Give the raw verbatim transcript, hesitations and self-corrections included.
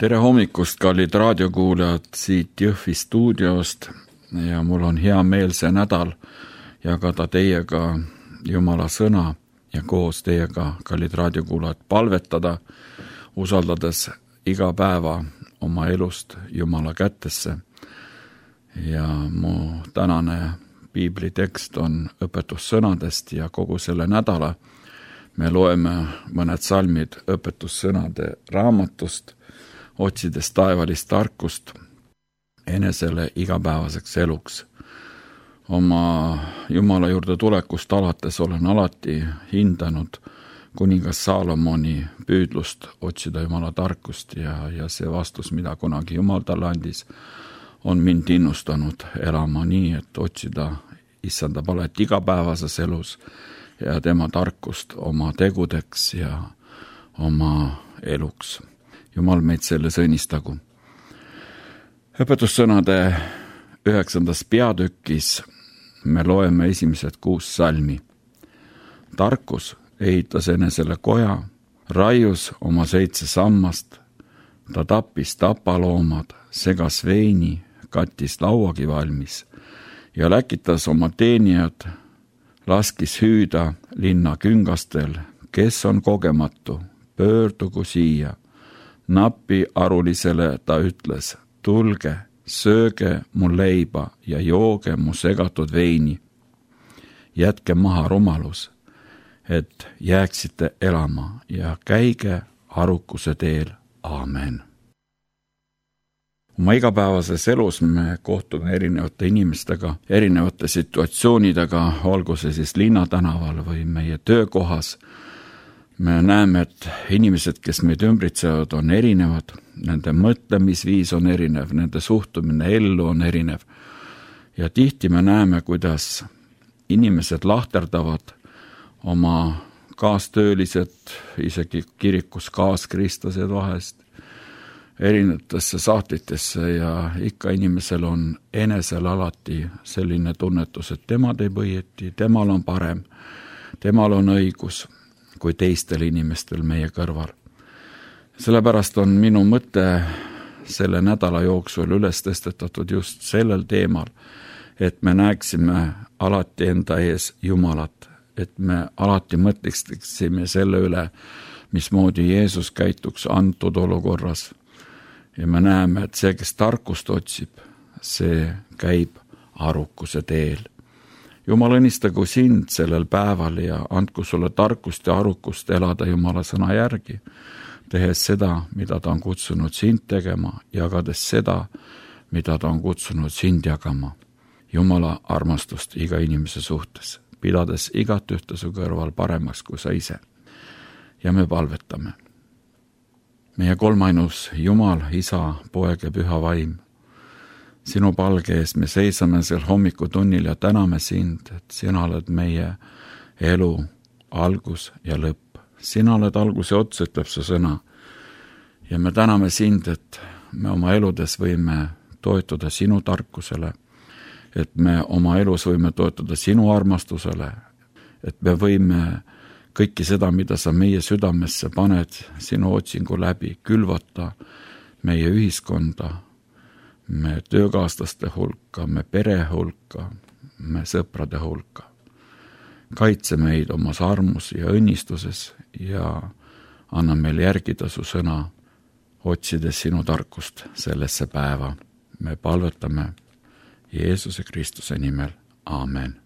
tere hommikust, kallid raadiokuulajad siit Jõhvi stuudiost ja mul on hea meel see nädal jagada teiega Jumala sõna ja koos teiega, kallid raadiokuulajad, palvetada, usaldades iga päeva oma elust Jumala kätesse. Ja mu tänane piiblitekst on õpetussõnadest ja kogu selle nädala me loeme mõned salmid õpetussõnade raamatust, otsides taevalist tarkust enesele igapäevaseks eluks. Oma Jumala juurde tulekust alates olen alati hindanud kuningas Saalomoni püüdlust otsida Jumala tarkust ja, ja see vastus, mida kunagi Jumal talle andis, on mind innustanud elama nii, et otsida issanda palet igapäevases elus ja tema tarkust oma tegudeks ja oma eluks. Jumal meid selles õnnistagu. Õpetussõnade üheksandas peatükis me loeme esimesed kuus salmi. Tarkus ehitas enesele koja, raius oma seitse sammast, ta tappis tapaloomad, segas veini, kattis lauagi valmis ja läkitas oma teenijad, laskis hüüda linna küngastel, kes on kogematu, pöördugu siia. Nappi arulisele ta ütles, tulge, sööge mu leiba ja jooge mu segatud veini. Jätke maha rumalus, et jääksite elama ja käige arukuse teel. Aamen. Oma igapäevases elus me kohtume erinevate inimestega, erinevate situatsioonidega, olgu see siis linnatänaval või meie töökohas. Me näeme, et inimesed, kes meid ümbritsevad, on erinevad, nende mõtlemisviis on erinev, nende suhtumine ellu on erinev. Ja tihti me näeme, kuidas inimesed lahterdavad oma kaastöölised, isegi kirikus kaaskristlased vahest, erinevatesse sahtlitesse ja ikka inimesel on enesel alati selline tunnetus, et tema teeb õieti, temal on parem, temal on õigus kui teistel inimestel meie kõrval. Sellepärast on minu mõte selle nädala jooksul üles tõstetatud just sellel teemal, et me näeksime alati enda ees Jumalat, et me alati mõtleksime selle üle, mismoodi Jeesus käituks antud olukorras. Ja me näeme, et see, kes tarkust otsib, see käib arukuse teel. Jumal õnnistagu sind sellel päeval ja andku sulle tarkust ja arukust elada Jumala sõna järgi, tehes seda, mida ta on kutsunud sind tegema, jagades seda, mida ta on kutsunud sind jagama. Jumala armastust iga inimese suhtes, pidades igat ühte su kõrval paremaks kui sa ise. Ja me palvetame. Meie kolmainus Jumal, Isa, Poeg ja Püha Vaim. Sinu palge ees me seisame sel hommikutunnil ja täname sind, et sina oled meie elu algus ja lõpp. Sina oled algus ja ots, ütleb su sõna. Ja me täname sind, et me oma eludes võime toetuda sinu tarkusele, et me oma elus võime toetuda sinu armastusele, et me võime kõiki seda, mida sa meie südamesse paned sinu otsingu läbi, külvata meie ühiskonda, me töökaaslaste hulka, me pere hulka, me sõprade hulka. Kaitse meid omas armus ja õnnistuses ja anna meil järgida su sõna, otsides sinu tarkust sellesse päeva. Me palvetame Jeesuse Kristuse nimel. Aamen.